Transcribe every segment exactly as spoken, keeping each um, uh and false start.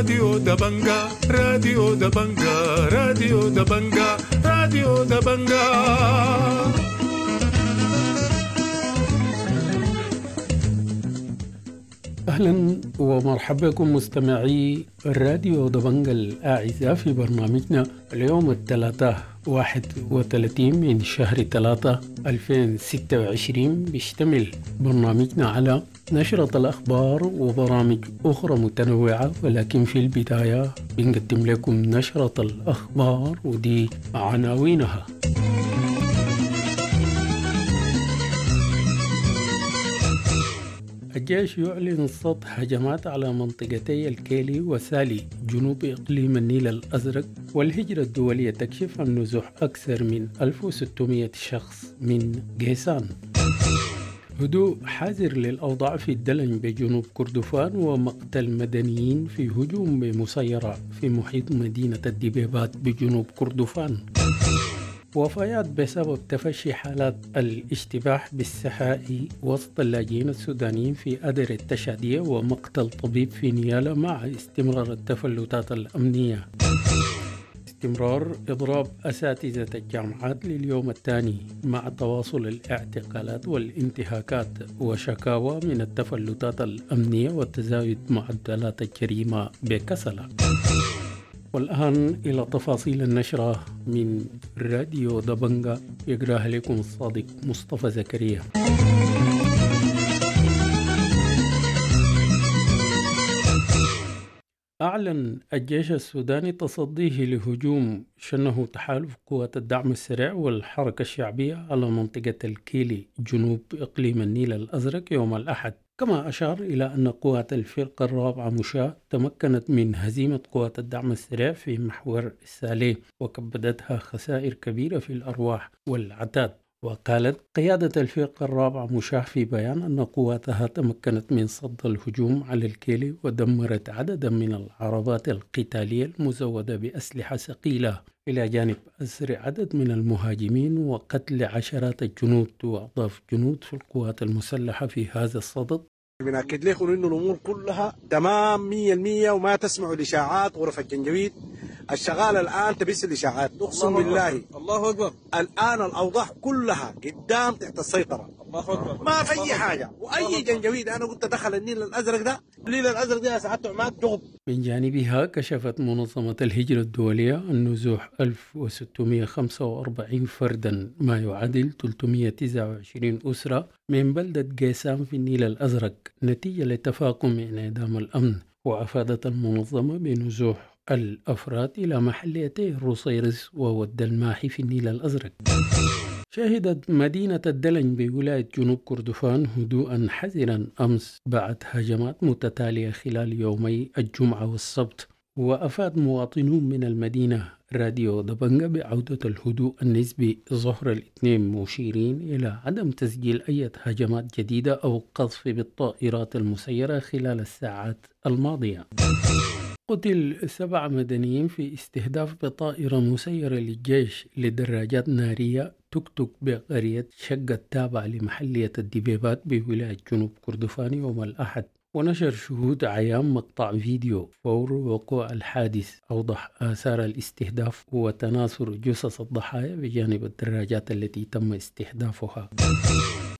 راديو دبنجا، راديو دبنجا، راديو دبنجا، راديو دبنجا. أهلا ومرحبا بكم مستمعي الراديو دبنجا الأعزاء في برنامجنا اليوم الثلاثاء واحد وثلاثين من شهر ثلاثة ألفين وستة وعشرين. بيشتمل برنامجنا على نشرة الأخبار وبرامج أخرى متنوعة، ولكن في البداية بنقدم لكم نشرة الأخبار ودي عناوينها. الجيش يعلن صد هجمات على منطقتي الكيلي وسالي جنوب إقليم النيل الأزرق، والهجرة الدولية تكشف عن نزوح أكثر من ألف وستمائة شخص من قيسان. هدوء حذر للأوضاع في الدلن بجنوب كردفان ومقتل مدنيين في هجوم بمسيرة في محيط مدينة الدبيبات بجنوب كردفان. وفيات بسبب تفشي حالات الاشتباه بالسحائي وسط اللاجئين السودانيين في أدر التشادية ومقتل طبيب في نيالا مع استمرار التفلتات الأمنية. استمرار إضراب أساتذة الجامعات لليوم الثاني مع تواصل الاعتقالات والانتهاكات وشكاوى من التفلتات الأمنية وتزايد معدلات الجريمة بكسلة. والآن إلى تفاصيل النشرة من راديو دبنجا يقراها لكم الصادق مصطفى زكريا. أعلن الجيش السوداني تصديه لهجوم شنه تحالف قوات الدعم السريع والحركة الشعبية على منطقة الكيلي جنوب إقليم النيل الأزرق يوم الأحد، كما أشار إلى أن قوات الفرقة الرابعة مشاة تمكنت من هزيمة قوات الدعم السريع في محور السالي وكبدتها خسائر كبيرة في الأرواح والعتاد. وقالت قيادة الفرقة الرابعة مشاة في بيان أن قواتها تمكنت من صد الهجوم على الكيلي ودمرت عددا من العربات القتالية المزودة بأسلحة ثقيلة، إلى جانب أسر عدد من المهاجمين وقتل عشرات الجنود. وأضاف جنود في القوات المسلحة في هذا الصدد: بنأكد لكم إنه الأمور كلها تمام مية المية وما تسمعوا الإشاعات. غرف الجنجويد الشغالة الآن تبث الإشاعات، أقسم بالله الله أكبر، الآن الأوضاع كلها قدام تحت السيطرة، الله أكبر، ما في أي حاجة. وأي جنجويد أنا قلت دخل النيل الأزرق ده، النيل الأزرق ده يا سعادة عماد جغب. من جانبها كشفت منظمة الهجرة الدولية عن نزوح ألف وستمائة وخمسة وأربعين فردا ما يعادل ثلاثمائة وتسعة وعشرين أسرة من بلدة قيسان في النيل الأزرق نتيجة لتفاقم انعدام الأمن. وأفادت المنظمة بنزوح الأفراد إلى محليتي الروصيرس وود الماحي في النيل الأزرق. شهدت مدينة الدلن بولاية جنوب كردفان هدوءا حذرا أمس بعد هجمات متتالية خلال يومي الجمعة والسبت. وأفاد مواطنون من المدينة راديو دبنجا بعودة الهدوء النسبي ظهر الاثنين، مشيرين إلى عدم تسجيل أي هجمات جديدة أو قصف بالطائرات المسيرة خلال الساعات الماضية. قتل سبع مدنيين في استهداف بطائرة مسيرة للجيش لدراجات نارية تكتك بقرية شقة التابعة لمحلية الدبيبات بولاية جنوب كردفان يوم الأحد. ونشر شهود عيان مقطع فيديو فور وقوع الحادث أوضح آثار الاستهداف وتناثر جثث الضحايا بجانب الدراجات التي تم استهدافها.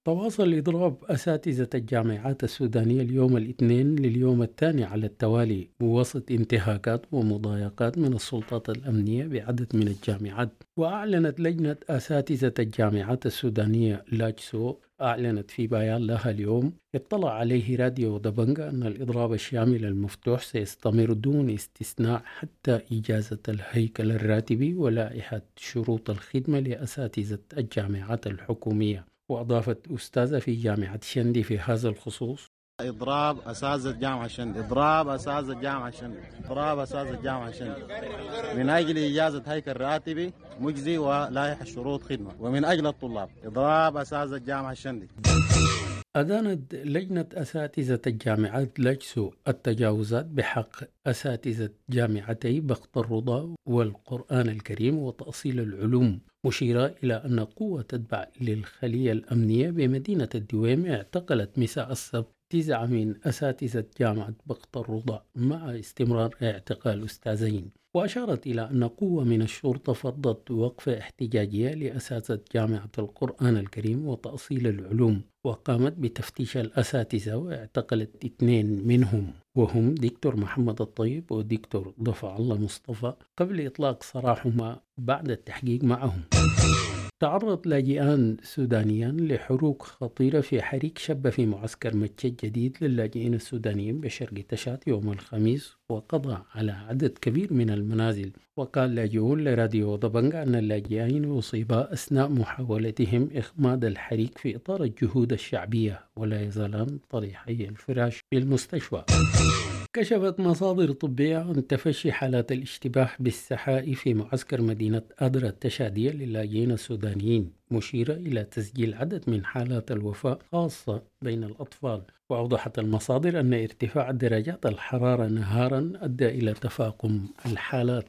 تواصل إضراب أساتذة الجامعات السودانية اليوم الاثنين لليوم الثاني على التوالي بوسط انتهاكات ومضايقات من السلطات الأمنية بعدد من الجامعات. وأعلنت لجنة أساتذة الجامعات السودانية لاجسو أعلنت في بيان لها اليوم اطلع عليه راديو دبنجا أن الإضراب الشامل المفتوح سيستمر دون استثناء حتى إجازة الهيكل الراتبي ولائحة شروط الخدمة لأساتذة الجامعات الحكومية. وأضافت أستاذة في جامعة شندي في هذا الخصوص: إضراب أساتذة جامعة شندي، إضراب أساتذة جامعة شندي، إضراب أساتذة جامعة شندي من أجل إجازة هيكل راتبي مجزي ولائحة شروط خدمة، ومن أجل الطلاب، إضراب أساتذة جامعة شندي. أدانت لجنة أساتذة الجامعات لجسو التجاوزات بحق أساتذة جامعتي بخت الرضا والقرآن الكريم وتأصيل العلوم، مشيرة إلى أن قوة تتبع للخلية الأمنية بمدينة الدويم اعتقلت مساء السبت تسعة من أساتذة جامعة بقط الرضا مع استمرار اعتقال أستاذين. وأشارت إلى أن قوة من الشرطة فضت وقفة احتجاجية لأساتذة جامعة القرآن الكريم وتأصيل العلوم، وقامت بتفتيش الأساتذة واعتقلت اثنين منهم وهم دكتور محمد الطيب ودكتور ضفع الله مصطفى قبل إطلاق سراحهما بعد التحقيق معهم. تعرض لاجئان سودانيان لحروق خطيرة في حريق شب في معسكر متشة الجديد للاجئين السودانيين بشرق تشاد يوم الخميس، وقضى على عدد كبير من المنازل. وقال لاجئون لراديو دبنجا أن اللاجئين أصيبا أثناء محاولتهم إخماد الحريق في إطار الجهود الشعبية، ولا يزالان طريحي الفراش في المستشفى. كشفت مصادر طبية عن تفشي حالات الاشتباه بالسحاء في معسكر مدينة أدرا التشادية للاجئين السودانيين، مشيرة إلى تسجيل عدد من حالات الوفاة خاصة بين الأطفال. وأوضحت المصادر أن ارتفاع درجات الحرارة نهارا أدى إلى تفاقم الحالات.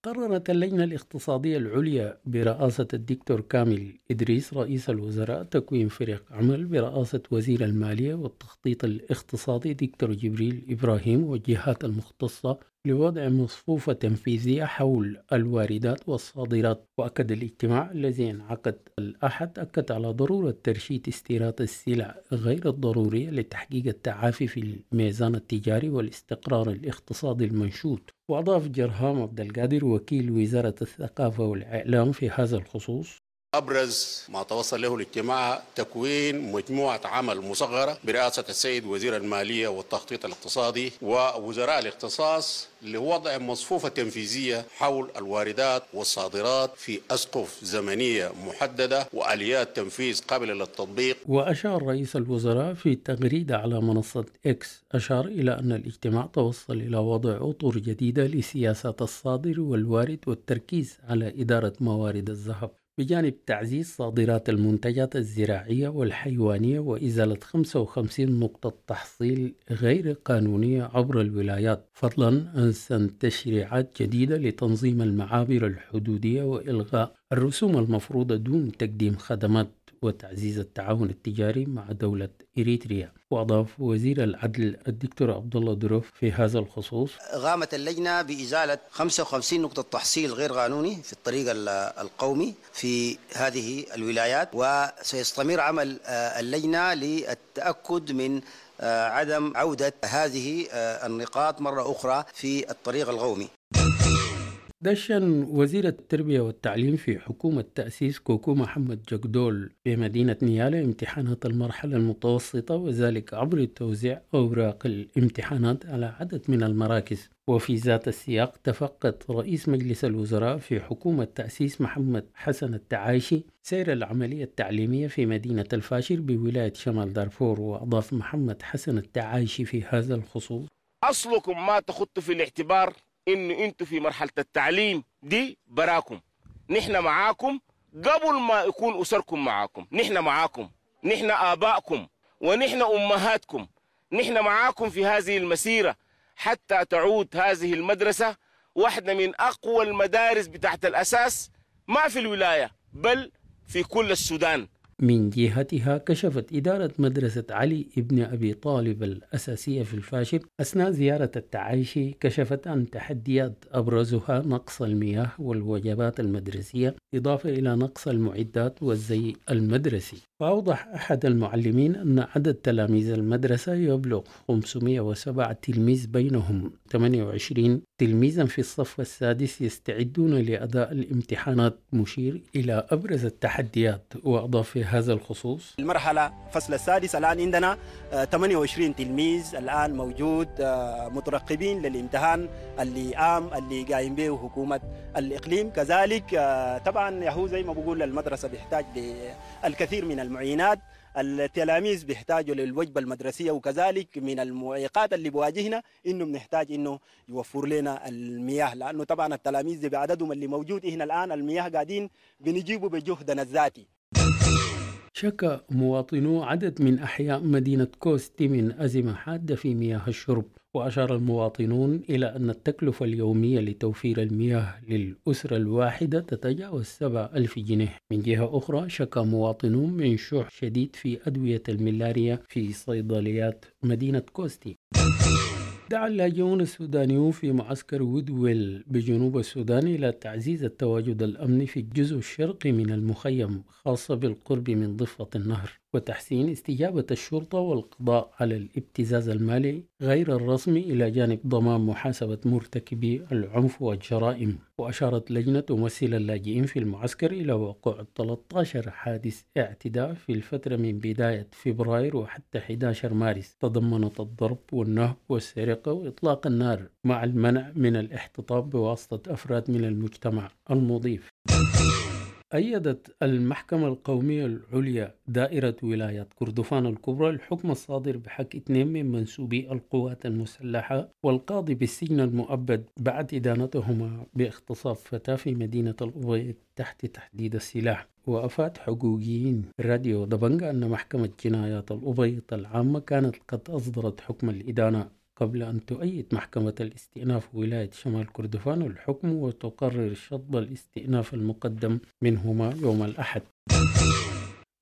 قررت اللجنة الاقتصادية العليا برئاسة الدكتور كامل إدريس رئيس الوزراء تكوين فريق عمل برئاسة وزير المالية والتخطيط الاقتصادي دكتور جبريل إبراهيم والجهات المختصة لوضع مصفوفة تنفيذية حول الواردات والصادرات. وأكد الاجتماع الذي انعقد الأحد أكد على ضرورة ترشيد استيراد السلع غير الضرورية لتحقيق التعافي في الميزان التجاري والاستقرار الاقتصادي المنشود. وأضاف جرهام عبد القادر وكيل وزارة الثقافة والإعلام في هذا الخصوص: أبرز ما توصل له الاجتماع تكوين مجموعة عمل مصغرة برئاسة السيد وزير المالية والتخطيط الاقتصادي ووزراء الاختصاص لوضع مصفوفة تنفيذية حول الواردات والصادرات في أسقف زمنية محددة وآليات تنفيذ قابلة للتطبيق. وأشار رئيس الوزراء في تغريدة على منصة إكس أشار إلى أن الاجتماع توصل إلى وضع أطر جديدة لسياسة الصادر والوارد والتركيز على إدارة موارد الذهب، بجانب تعزيز صادرات المنتجات الزراعية والحيوانية وإزالة خمسة وخمسين نقطة تحصيل غير قانونية عبر الولايات، فضلا عن سن تشريعات جديدة لتنظيم المعابر الحدودية وإلغاء الرسوم المفروضة دون تقديم خدمات وتعزيز التعاون التجاري مع دولة إريتريا. وأضاف وزير العدل الدكتور عبد الله دروف في هذا الخصوص: قامت اللجنة بإزالة خمسة وخمسين نقطة تحصيل غير قانوني في الطريق القومي في هذه الولايات، وسيستمر عمل اللجنة للتأكد من عدم عودة هذه النقاط مرة أخرى في الطريق القومي. دشن وزير التربية والتعليم في حكومة تأسيس كوكو محمد جقدول بمدينة نيالا امتحانات المرحلة المتوسطة، وذلك عبر توزيع أوراق الامتحانات على عدد من المراكز. وفي ذات السياق تفقد رئيس مجلس الوزراء في حكومة تأسيس محمد حسن التعايشي سير العملية التعليمية في مدينة الفاشر بولاية شمال دارفور. وأضاف محمد حسن التعايشي في هذا الخصوص: أصلكم ما تخط في الاعتبار إنه أنتوا في مرحلة التعليم دي براكم، نحن معاكم قبل ما يكون أسركم معاكم، نحن معاكم، نحن آبائكم ونحن أمهاتكم، نحن معاكم في هذه المسيرة حتى تعود هذه المدرسة واحدة من أقوى المدارس بتاعت الأساس ما في الولاية بل في كل السودان. من جهتها كشفت إدارة مدرسة علي ابن أبي طالب الأساسية في الفاشر أثناء زيارة التعايشي كشفت عن تحديات أبرزها نقص المياه والوجبات المدرسية، إضافة إلى نقص المعدات والزي المدرسي. وأوضح أحد المعلمين أن عدد تلاميذ المدرسة يبلغ خمسمائة وسبعة تلميذ، بينهم ثمانية وعشرين تلميذا في الصف السادس يستعدون لأداء الامتحانات، مشير إلى أبرز التحديات. وأضاف في هذا الخصوص: المرحلة فصل السادس الآن عندنا ثمانية وعشرين تلميذ الآن موجود مترقبين للامتحان اللي عام اللي قايم به حكومة الإقليم. كذلك طبعا يهو زي ما بقول المدرسة بيحتاج للكثير من المعينات، التلاميذ بيحتاجوا للوجبة المدرسية، وكذلك من المعيقات اللي بواجهنا إنه بنحتاج إنه يوفر لنا المياه، لأنه طبعا التلاميذ بعددهم اللي موجود هنا الآن المياه قاعدين بنجيبه بجهدنا الذاتي. شكى مواطنو عدد من أحياء مدينة كوستي من أزمة حادة في مياه الشرب، وأشار المواطنون إلى أن التكلفة اليومية لتوفير المياه للأسرة الواحدة تتجاوز سبعة ألف جنيه. من جهة أخرى شكى مواطنون من شح شديد في أدوية الملاريا في صيدليات مدينة كوستي. دعا اللاجئون السودانيون في معسكر وودويل بجنوب السودان إلى تعزيز التواجد الأمني في الجزء الشرقي من المخيم، خاصة بالقرب من ضفة النهر، وتحسين استجابة الشرطة والقضاء على الابتزاز المالي غير الرسمي، إلى جانب ضمان محاسبة مرتكبي العنف والجرائم. وأشارت لجنة تمثل اللاجئين في المعسكر إلى وقوع ثلاثة عشر حادث اعتداء في الفترة من بداية فبراير وحتى أحد عشر مارس، تضمنت الضرب والنهب والسرقة وإطلاق النار، مع المنع من الاحتطاب بواسطة أفراد من المجتمع المضيف. أيدت المحكمة القومية العليا دائرة ولاية كردفان الكبرى الحكم الصادر بحق اثنين من منسوبي القوات المسلحة والقاضي بالسجن المؤبد بعد إدانتهما باغتصاب فتاة في مدينة الأبيض تحت تحديد السلاح. وأفاد حقوقيين راديو دبنجا أن محكمة جنايات الأبيض العامة كانت قد أصدرت حكم الإدانة قبل أن تؤيد محكمة الاستئناف ولاية شمال كردفان الحكم وتقرر شطب الاستئناف المقدم منهما يوم الأحد.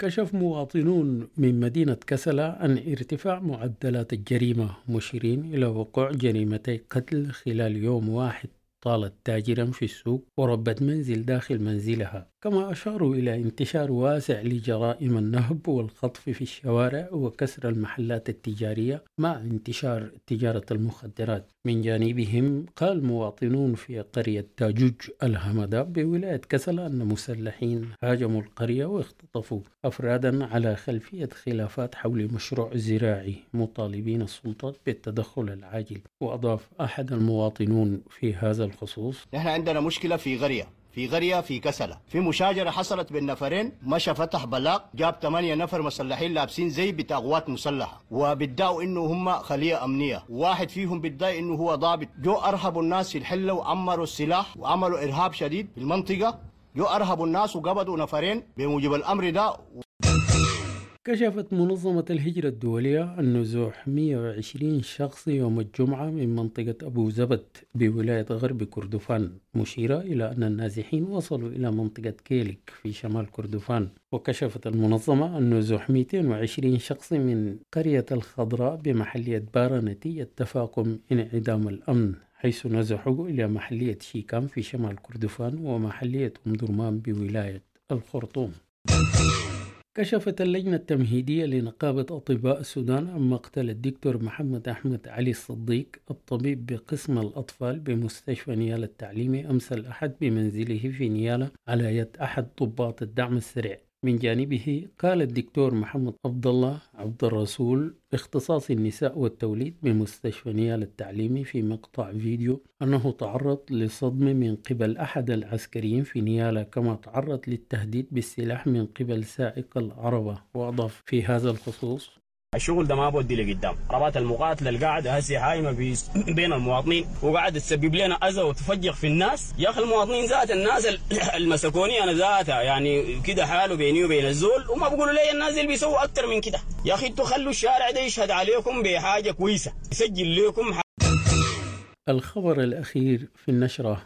كشف مواطنون من مدينة كسلا عن ارتفاع معدلات الجريمة، مشيرين إلى وقوع جريمتي قتل خلال يوم واحد طالت تاجرا في السوق وربة منزل داخل منزلها، كما أشاروا إلى انتشار واسع لجرائم النهب والخطف في الشوارع وكسر المحلات التجارية مع انتشار تجارة المخدرات. من جانبهم قال مواطنون في قرية تاجوج الهمدة بولاية كسلا أن مسلحين هاجموا القرية واختطفوا أفرادا على خلفية خلافات حول مشروع زراعي، مطالبين السلطات بالتدخل العاجل. وأضاف أحد المواطنون في هذا الخصوص: نحن عندنا مشكلة في قرية في قرية في كسلة، في مشاجرة حصلت بين نفرين، مشى فتح بلاغ جاب ثمانية نفر مسلحين لابسين زي بتاع قوات مسلحة، وبيدعوا انه هم خلية أمنية، واحد فيهم بيدعي انه هو ضابط. جو أرهبوا الناس في الحلة وعمروا السلاح وعملوا إرهاب شديد في المنطقة، جو أرهبوا الناس وقبضوا نفرين بموجب الأمر ده. كشفت منظمة الهجرة الدولية عن نزوح مئة وعشرين شخص يوم الجمعة من منطقة أبو زبد بولاية غرب كردفان، مشيرة إلى أن النازحين وصلوا إلى منطقة كيلك في شمال كردفان. وكشفت المنظمة عن نزوح مئتين وعشرين شخص من قرية الخضراء بمحلية بارا نتيجة تفاقم انعدام الأمن، حيث نزحوا إلى محلية شيكام في شمال كردفان ومحلية أم درمان بولاية الخرطوم. كشفت اللجنة التمهيدية لنقابة أطباء السودان عن مقتل الدكتور محمد أحمد علي الصديق الطبيب بقسم الأطفال بمستشفى نيالا التعليمي أمس الأحد بمنزله في نيالا على يد أحد ضباط الدعم السريع. من جانبه قال الدكتور محمد عبد الله عبد الرسول اختصاص النساء والتوليد بمستشفى نيالا التعليمي في مقطع فيديو أنه تعرض لصدمة من قبل أحد العسكريين في نيالا، كما تعرض للتهديد بالسلاح من قبل سائق العربة. وأضاف في هذا الخصوص: الشغل ده ما بودي لقدام، عربات المقاتله اللي قاعده هسه حايمه بين المواطنين وقاعده تسبب لنا اذى وتفجر في الناس. يا اخي المواطنين ذات الناس المسكوني انا ذاتها يعني كده حاله بيني وبين الزول، وما بيقولوا لي الناس اللي بيسووا اكثر من كده. يا اخي انتوا خلوا الشارع ده يشهد عليكم بحاجه كويسه، يسجل لكم. الخبر الاخير في النشره: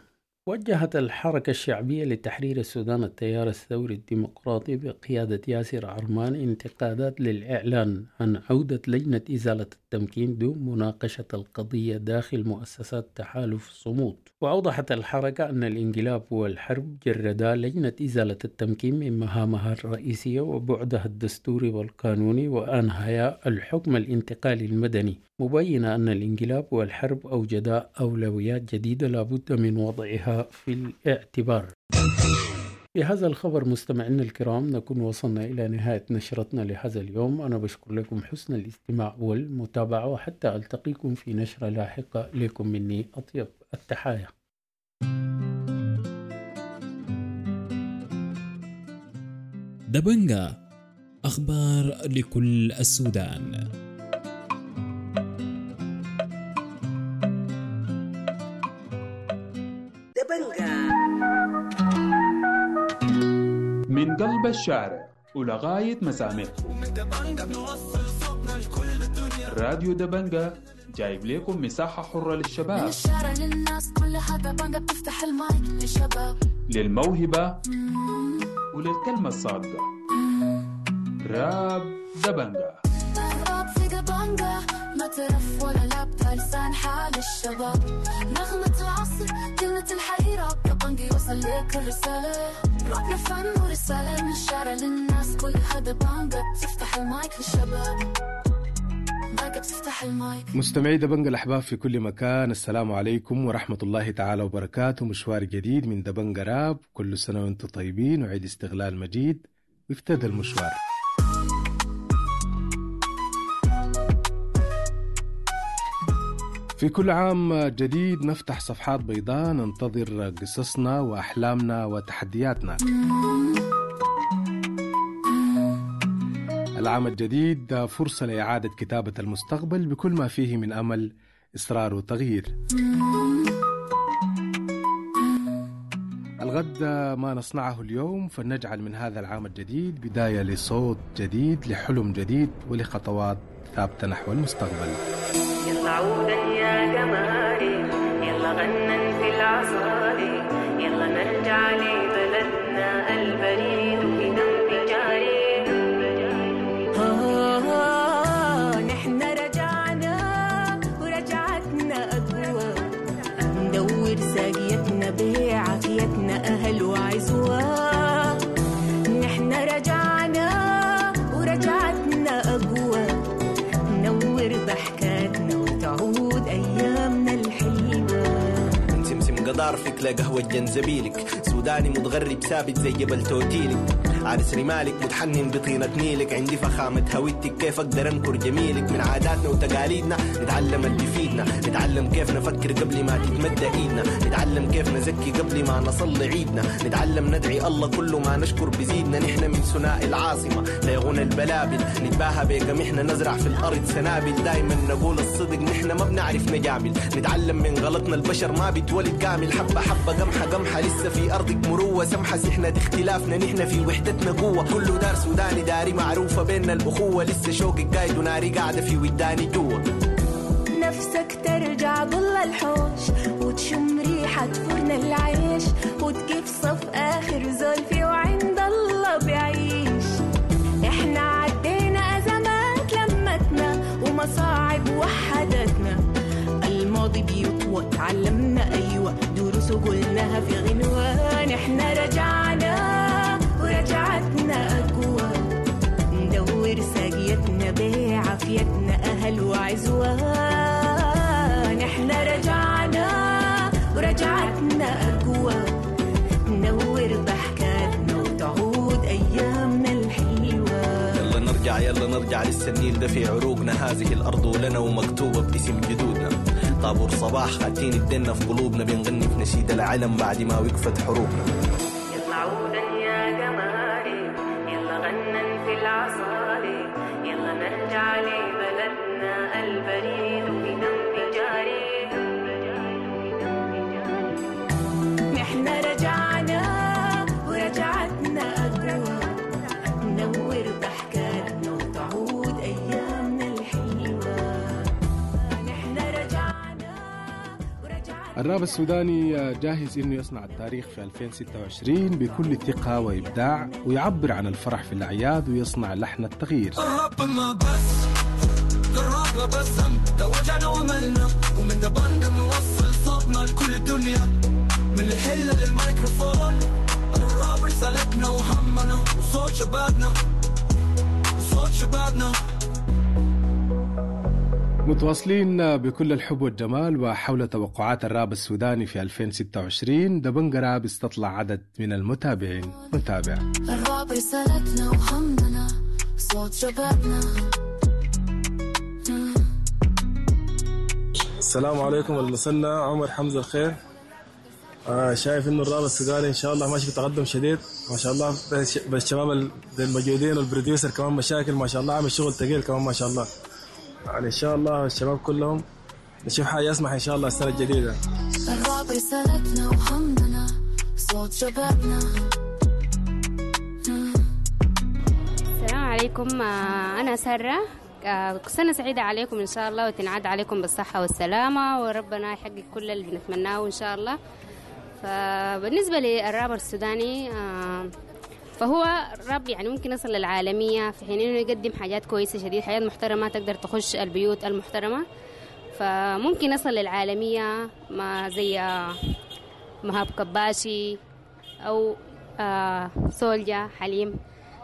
وجهت الحركة الشعبية لتحرير السودان التيار الثوري الديمقراطي بقيادة ياسر عرمان انتقادات للإعلان عن عودة لجنة إزالة التمكين دون مناقشة القضية داخل مؤسسات تحالف صمود. وأوضحت الحركة أن الانقلاب والحرب جردا لجنة إزالة التمكين من مهامها الرئيسية وبعدها الدستوري والقانوني وأنهيا الحكم الانتقالي المدني، مبينة أن الانقلاب والحرب أوجدا أولويات جديدة لابد من وضعها في الاعتبار. بهذا الخبر مستمعينا الكرام نكون وصلنا إلى نهاية نشرتنا لهذا اليوم. أنا بشكر لكم حسن الاستماع والمتابعة، وحتى ألتقيكم في نشرة لاحقة. لكم مني أطيب التحايا. دبنجا، أخبار لكل السودان. من قلب الشارع. ولغاية مسامعكم. راديو دبنجة جايب لكم مساحة حرة من للشباب، الشارع للناس كلها دبنجة بتفتح المايك للشباب، للموهبة وللكلمة الصادقة. راب دبنجة. الراب في دبنجة ما ترف ولا لابتة، لسان حال الشباب، نغمة العصر كلمة الحقيقة، دبنجة يوصل لك الرسالة، رابنا فن ورسالة، من الشارع للناس كلها دبنجة بتفتح المايك للشباب، دبنجة بتفتح المايك. مستمعي دبنجة الأحباب في كل مكان، السلام عليكم ورحمة الله تعالى وبركاته. مشوار جديد من دبنجة راب، كل سنة وانتم طيبين وعيد استغلال مجيد، وابتدى المشوار. في كل عام جديد نفتح صفحات بيضاء، ننتظر قصصنا وأحلامنا وتحدياتنا. العام الجديد فرصة لإعادة كتابة المستقبل بكل ما فيه من أمل، إصرار وتغيير. الغد ما نصنعه اليوم، فلنجعل من هذا العام الجديد بداية لصوت جديد، لحلم جديد، ولخطوات ثابتة نحو المستقبل. يلا عودا يا جمالي، يلا غنن في العصاري، يلا نرجع لبلدنا البريد في دم جاري. آه نحن رجعنا ورجعتنا أقوى، ندور ساقيتنا بعافيتنا أهل وعزوة. نحن رجعنا ورجعتنا أقوى، نور ضحكاتنا وتعود أيامنا الحلوة. من سمسم قضارفك لقهوة جنزبيلك، سوداني متغرب ثابت زي جبل توتيلك، عرس رمالك متحنن بطينة نيلك، عندي فخامة هويتك كيف أقدر أنكر جميلك. من عاداتنا وتقاليدنا نتعلم اللي يفيدنا، نتعلم كيف نفكر قبل ما تتمدى إيدنا، نتعلم كيف نزكي قبل ما نصلي عيدنا، نتعلم ندعي الله كل ما نشكر بزيدنا. نحن من ثنائي العاصمة ليغنى البلابل، نتباهى بقمحنا نزرع في الأرض سنابل، دايما نقول الصدق نحن ما بنعرف نجامل، نتعلم من غلطنا البشر ما بيتولد كامل. حبة حبة قمحة قمحة لسه في أرضك مروة سمحة، سحنا اختلافنا نحن في وحدتنا قوة، كله دار سوداني داري معروفة بيننا الأخوة، لسه شوقك قايد وناري قاعدة في وداني جوا. نفسك ترجع ضل الحوش وتشم ريحة فرن العيش، وتكيف صف آخر زول في وعند الله بعيش. احنا عدينا أزمات لمتنا ومصاعب وحدتنا، الماضي بيطوى تعلمنا أيوة دروس وقلناها في غنوة. نحن رجعنا ورجعتنا أقوى، ندور ساقيتنا بعافيتنا أهل وعزوة. نحن رجعنا ورجعتنا أقوى، نور ضحكاتنا وتعود أيامنا الحلوة. يلا نرجع يلا نرجع لسه النيل ده في عروقنا، هذه الأرض لنا ومكتوبة باسم جدودنا، طابور صباح خاتين الدنا في قلوبنا، بنغني في نشيد العلم بعد ما وقفت حروبنا. يلا عودا يا جمالي، يلا غنن في العصاري، يلا نرجع لبلدنا البريد في دم جاري. نحن رجعنا ورجعتنا أقوى، نور ضحكاتنا وتعود أيامنا الحلوة. نحن رجعنا الراب السوداني جاهز إنه يصنع التاريخ في ألفين وستة وعشرين بكل ثقة وإبداع، ويعبر عن الفرح في الأعياد ويصنع لحن التغيير. الراب ما بس الراب ما بس ده وجعنا وملنا، ومن دبنجة نوصل صوتنا لكل الدنيا، من الحلة للميكروفون، الراب رسالتنا وهمنا وصوت شبابنا، وصوت شبابنا. متواصلين بكل الحب والجمال وحول توقعات الراب السوداني في ألفين وستة وعشرين، دبنجة راب استطلع عدد من المتابعين. نتابع. الراب رسالتنا وهمنا صوت شبابنا. السلام عليكم المثنى عمر حمزة الخير. آه شايف انه الراب السوداني ان شاء الله ماشي في تقدم شديد ما شاء الله، بالشباب الموجودين وال producer كمان مشاكل ما شاء الله، عامل شغل ثقيل كمان ما شاء الله. يعني ان شاء الله الشباب كلهم نشوف حاجه يسمح ان شاء الله السنه الجديده. الراب رسالتنا وهمنا صوت شبابنا. عليكم. أنا سارة. سنة سعيدة عليكم إن شاء الله، وتنعاد عليكم بالصحة والسلامة، وربنا يحقق كل اللي بنتمناه إن شاء الله. فبالنسبة للرابر السوداني فهو راب يعني ممكن يصل للعالمية، في حين إنه يقدم حاجات كويسة شديد، حاجات محترمة تقدر تخش البيوت المحترمة، فممكن يصل للعالمية ما زي مهاب كباشي أو سولجا حليم،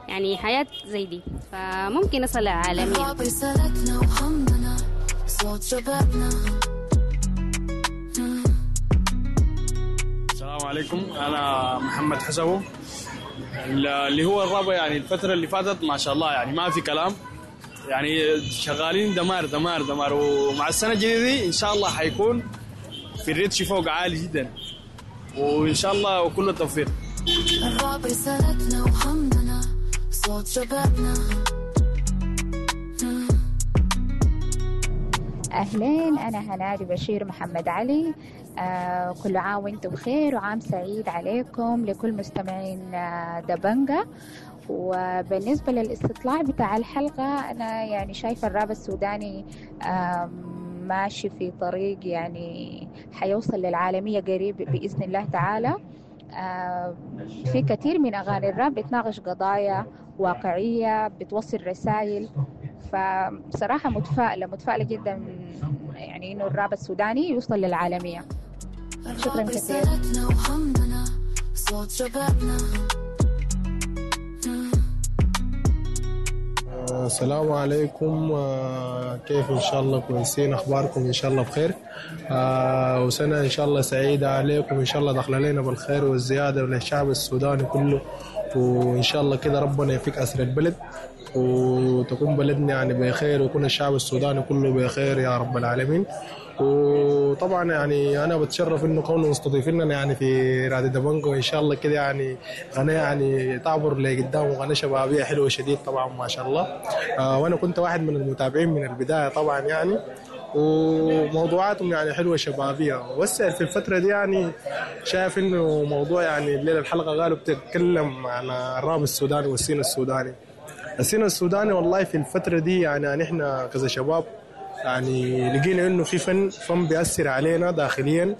يعني حياة زي دي، فممكن نصل للعالمية. رسالتنا وهمنا صوت شبابنا. السلام عليكم، أنا محمد حسبو. اللي هو الرابع يعني الفترة اللي فاتت ما شاء الله يعني ما في كلام، يعني شغالين دمار دمار دمار، ومع السنة الجديدة دي إن شاء الله حيكون في الريتش فوق عالي جدا، وإن شاء الله وكل التوفيق. الراب رسالتنا وهمنا صوت شبابنا. أهلين، أنا هنادي بشير محمد علي. آه كل عام وانتم بخير وعام سعيد عليكم لكل مستمعين آه دبنجة. وبالنسبة للاستطلاع بتاع الحلقة، أنا يعني شايفة الراب السوداني آه ماشي في طريق يعني حيوصل للعالمية قريب بإذن الله تعالى. آه في كثير من أغاني الراب بتناقش قضايا واقعية، بتوصل رسائل، فبصراحة متفائلة متفائلة جدا يعني إنه الراب السوداني يوصل للعالمية. شكرا كثير. السلام عليكم، كيف إن شاء الله كويسين، أخباركم إن شاء الله بخير، وسنة إن شاء الله سعيدة عليكم، إن شاء الله دخل علينا بالخير والزيادة وللشعب السوداني كله، وإن شاء الله كده ربنا يفك أسر البلد وتكون بلدنا يعني بخير، ويكون الشعب السوداني كله بخير يا رب العالمين. وطبعا يعني انا بتشرف انه كونه مستضيفيننا يعني في راديو دبنجو، ان شاء الله كده يعني قناة يعني تعبر لقدام وقناة شبابية حلوة شديد طبعا ما شاء الله. آه وانا كنت واحد من المتابعين من البداية طبعا يعني، وموضوعاتهم يعني حلوة شبابية. بس في الفترة دي يعني شايف انه موضوع يعني الليلة الحلقة قالوا بتتكلم عن الراب السوداني وال scene السوداني. ال scene السوداني والله في الفترة دي يعني نحن كذا شباب يعني لقينا انه في فن فن بيأثر علينا داخليا،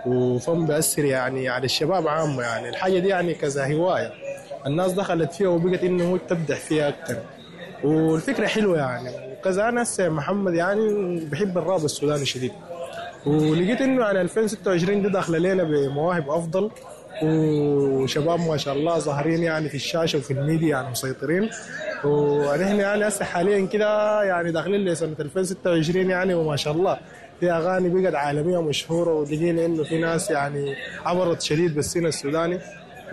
وفن بيأثر يعني على الشباب عامة. يعني الحاجة دي يعني كذا هواية الناس دخلت فيها وبقت انه هو تبدع فيها اكثر، والفكرة حلوة يعني. وكذا انا محمد يعني بحب الراب السوداني شديد، ولقيت انه يعني ألفين وستة وعشرين دي داخله لنا بمواهب افضل، وشباب ما شاء الله ظاهرين يعني في الشاشة وفي الميديا يعني مسيطرين. ونحن يعني هسه حاليا كده يعني داخلين لسنه ألفين وستة وعشرين يعني، وما شاء الله في اغاني بقت عالمية مشهورة، ولقينا انه في ناس يعني عبرت شديد بال scene السوداني.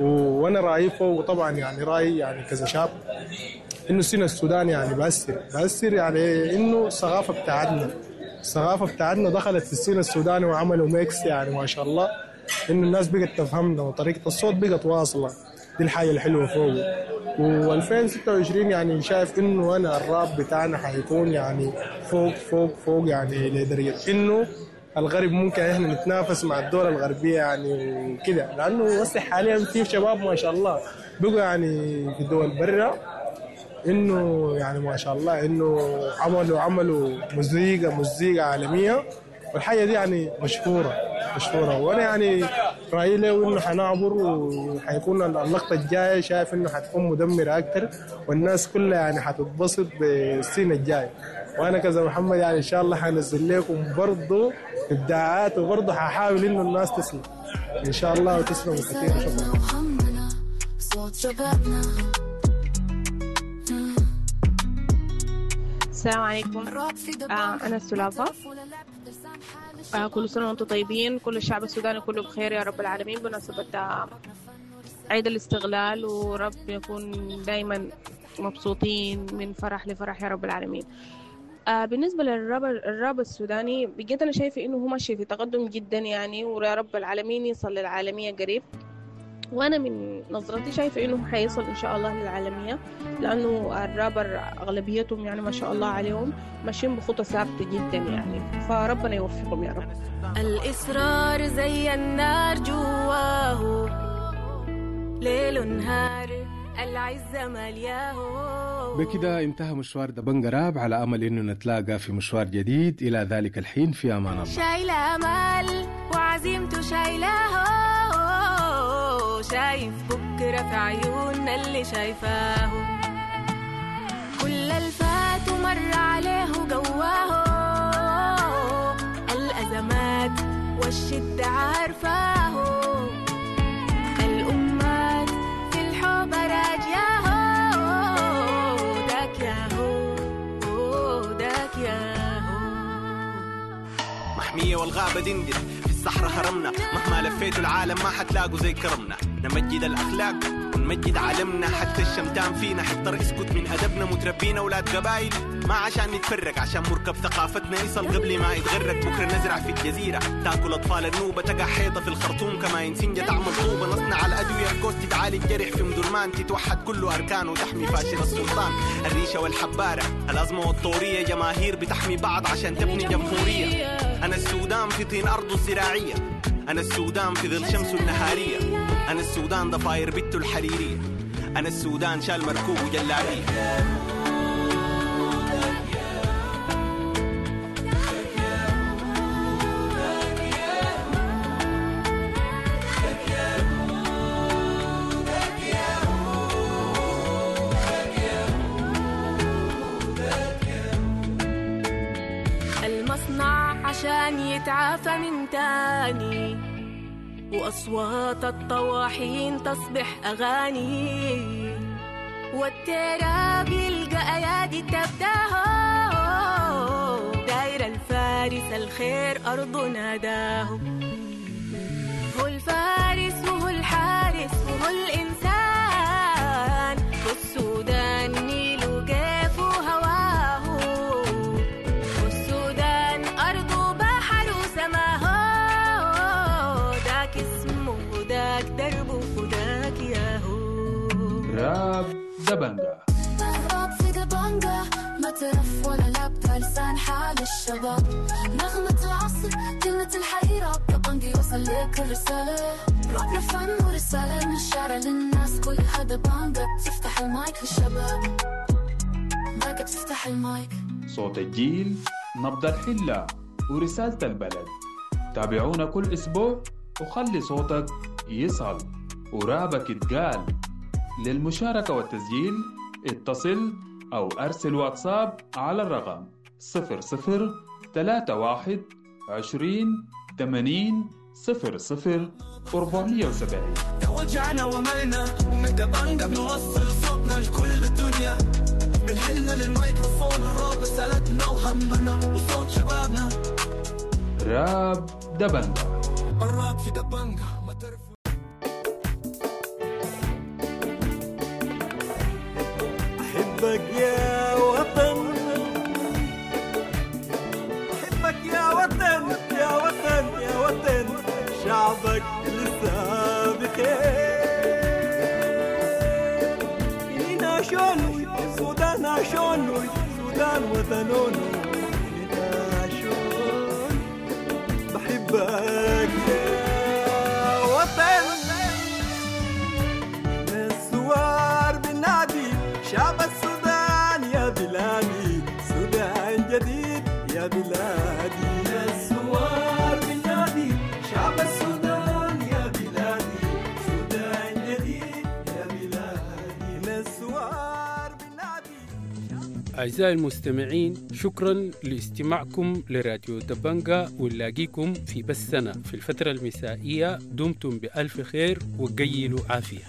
وانا رايي فوق طبعا يعني رايي يعني كذا شاب انه ال scene السوداني يعني بأثر بأثر يعني انه الثقافة بتاعتنا الثقافة بتاعتنا دخلت في ال scene السوداني وعملوا mix يعني ما شاء الله انه الناس بقت تفهمنا وطريقه الصوت بقت واصله. دي الحاجة الحلوة فوق. وألفين وستة وعشرين يعني شايف انه انا الراب بتاعنا حيكون يعني فوق فوق فوق يعني لدرجة انه الغرب ممكن احنا نتنافس مع الدول الغربية يعني وكده، لانه بس حاليا في شباب ما شاء الله بقوا يعني في الدول برا انه يعني ما شاء الله انه عملوا عملوا مزيكا مزيكا عالمية، والحاجة دي يعني مشهورة مشهورة. وانا يعني رايي له انه حنعبر وحيكون اللقطة الجاية شايف انه حتكون مدمرة اكثر، والناس كلها يعني حتتبسط بالسنة الجاية. وانا كذا محمد يعني ان شاء الله حنزل لكم برضه ابداعات، وبرضه ححاول انه الناس تسلم ان شاء الله وتسلموا كثير. شكرا. السلام عليكم، آه أنا سلافة. آه كل سنة وأنتم طيبين، كل الشعب السوداني كله بخير يا رب العالمين بمناسبة عيد الاستغلال، ورب يكون دايما مبسوطين من فرح لفرح يا رب العالمين. آه بالنسبة للراب الراب السوداني بجد أنا شايفة إنه هو ماشي في تقدم جدا يعني، ويا رب العالمين يصل للعالمية قريب. وأنا من نظرتي شايفة إنه حيصل إن شاء الله للعالمية، لأنه الرابر أغلبيتهم يعني ما شاء الله عليهم ماشيين بخطى ثابتة جدا يعني، فربنا يوفقهم يا رب. الإصرار زي النار جواه ليل نهار، العزة ملياه. بكده انتهى مشوار دبنجة راب، على أمل إنه نتلاقى في مشوار جديد. إلى ذلك الحين في أمان الله. شايلة أمل وعزيمته شايلاه، شايف بكرة في عيوننا اللي شايفاه، كل الفات ومر عليه جواه، الأزمات والشدة عارفاه، الأمات في الحب راجياه، داك ياهو داك ياهو. محمية والغابة دندن في الصحراء هرمنا، مهما لفيتوا العالم ما حتلاقوا زي كرمنا، نمجد الأخلاق ونمجد عالمنا، حتى الشمتان فينا حتى اسكت من أدبنا، متربينا ولاد قبايل ما عشان نتفرق، عشان مركب ثقافتنا يصل قبل ما يتغرق، بكرة نزرع في الجزيرة تاكل أطفال النوبة، تقع حيطة في الخرطوم كما ينسنجة تعمل طوبة، نصنع الأدوية في كوست تعالج جرح في مدرمان، تتوحد كل أركان وتحمي فاشل السلطان، الريشة والحبارة الأزمة والطورية، جماهير بتحمي بعض عشان تبني جمهورية، أنا السودان في طين أرضه الزراعية، أنا السودان في ظل شمسه النهارية، أنا السودان ضفاير بيته الحريرية، أنا السودان شال مركوب وجلابية. المصنع عشان يتعافى من تاني، وأصوات الطواحين تصبح أغاني، والتراب يلقى أيادي تبداه، داير الفارس الخير أرضه ناداه، هو الفارس وهو الحارس وهو الإنسان، والسودان نيل وقيف وهواه، والسودان أرضه بحر وسماه، داك اسمه وداك دربه وداك ياهو. راب دبنجة، راب في دبنجة، ما ترف ولا لعب، لسان حال الشباب، نغمة العصر كلمة الحيرة، دبنجي وصل لك الرسالة، رابنا فن ورسالة من الشارع للناس كلها، دبنجة تفتح المايك للشباب، باقة بتفتح المايك. صوت الجيل، نبض الحلة، ورسالة البلد. تابعونا كل أسبوع وخلي صوتك يصل ورابك يتقال. للمشاركة والتسجيل اتصل أو أرسل واتساب على الرقم صفر صفر ثلاثة واحد عشرين ثمانين صفر صفر أربعمية وسبعين. توجعنا وملنا ومن دبنجة بنوصل صوتنا لكل الدنيا، من حلنا للميكروفون الراب رسالتنا وهمنا وصوت شبابنا. راب دبنجة، الراب في دبنجة. أحبك يا وطن، أحبك يا وطن، يا وطن يا وطن، شعبك لسه بخير، إننا شون السودان شون السودان وطنون، إننا شون بحبك يا وطن. من الثوار بنادي شعب السودان يا بلادي، سودان جديد يا بلادي. الثوار بنادي شعب السودان يا بلادي، سودان جديد يا بلادي. الثوار بنادي. أعزائي المستمعين، شكرا لاستماعكم لراديو دبنجة، ونلاقيكم في بثنا في الفترة المسائية. دمتم بألف خير وقيلوا عافية.